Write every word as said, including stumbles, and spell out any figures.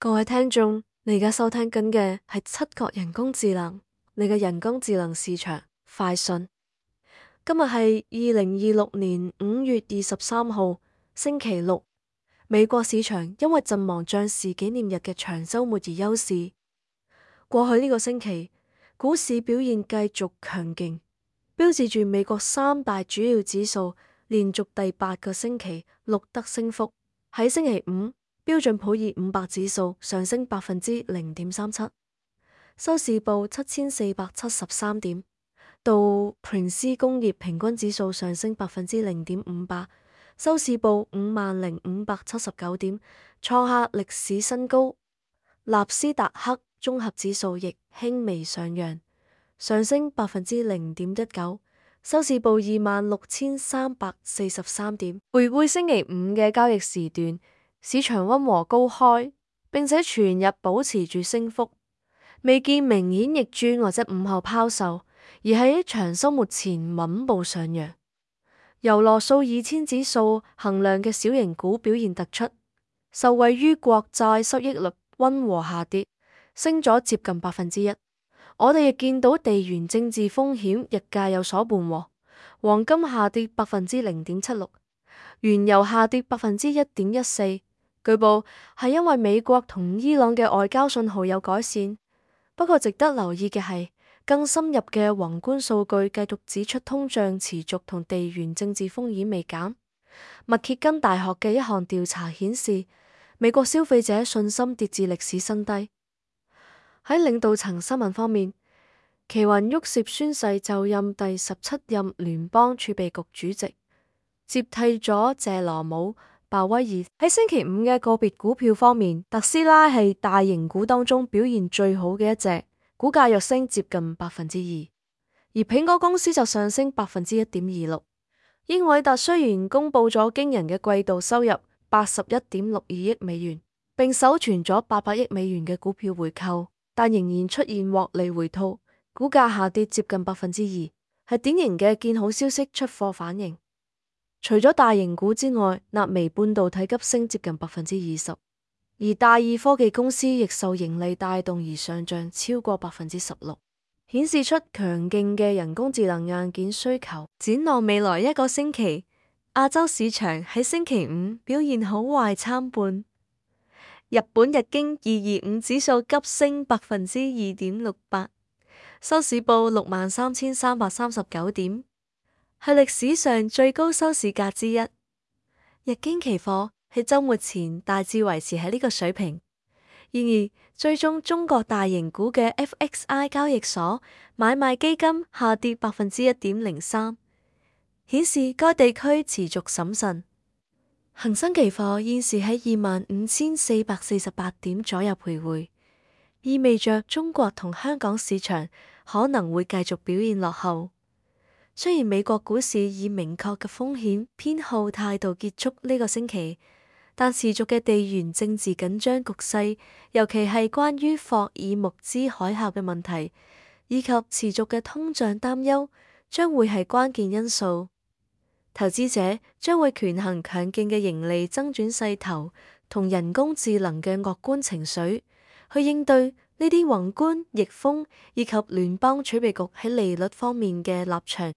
各位聽眾，你而家收聽緊嘅係七國人工智能，你嘅人工智能市場快訊。今日係二零二六年五月二十三號，星期六。美國市場因為陣亡將士紀念日嘅長週末而休市。過去呢個星期，股市表現繼續強勁，標誌住美國三大主要指數連續第八個星期錄得升幅。喺星期五，標準普爾五百指數上升百分之零點三七，收市報七千四百七十三點。道瓊斯工業平均指數上升百分之零點五八，收市報五萬零五百七十九點，創下歷史新高。納斯達克綜合指數亦輕微上揚，上升百分之零點一九，收市報二萬六千三百四十三點。回顧星期五嘅交易時段，市場溫和高開，並且全日保持住升幅，未見明顯逆轉或者午後拋售，而喺長週末前穩步上揚。由羅素二千指數衡量嘅小型股表現突出，受惠於國債收益率溫和下跌，升咗接近百分之一。我哋亦見到地緣政治風險日價有所緩和，黃金下跌百分之零點七六，原油下跌百分之一點一四。據報係因為美國同伊朗嘅外交信號有改善。不過值得留意嘅係，更深入嘅宏觀數據繼續指出通脹持續同地緣政治風險未減。密歇根大學嘅一項調查顯示，美國消費者信心跌至歷史新低。喺領導層新聞方面，奇雲沃涉宣誓就任第十七任聯邦儲備局主席，接替咗謝羅姆鮑威爾。喺星期五嘅個別股票方面，特斯拉係大型股當中表現最好嘅一隻，股價躍升接近百分之二，而蘋果公司就上升百分之一點二六。英偉達雖然公布咗驚人嘅季度收入八十一點六二億美元，並首存咗八百億美元嘅股票回購，但仍然出現獲利回吐，股價下跌接近百分之二，係典型嘅見好消息出貨反應。除咗大型股之外，納微半導體急升接近百分之二十，而大二科技公司亦受盈利帶動而上漲超過百分之十六，顯示出強勁嘅人工智能硬件需求。展望未來一個星期，亞洲市場喺星期五表現好壞參半。日本日經二二五指數急升百分之二點六八，收市報六萬三千三百三十九點。係歷史上最高收市價之一。日經期貨喺週末前大致維持喺呢個水平。然而，追蹤中國大型股嘅 F X I 交易所買賣基金下跌百分之一點零三，顯示該地區持續審慎。恒生期貨現時喺二萬五千四百四十八點左右徘徊，意味着中國同香港市場可能會繼續表現落後。雖然美國股市以明確嘅風險偏好態度結束呢個星期，但持續嘅地緣政治緊張局勢，尤其係關於霍爾木茲海峽嘅問題，以及持續嘅通脹擔憂，將會係關鍵因素。投資者將會權衡強勁嘅盈利增長勢頭同人工智能嘅樂觀情緒，去應對呢啲宏觀逆風以及聯邦儲備局喺利率方面嘅立場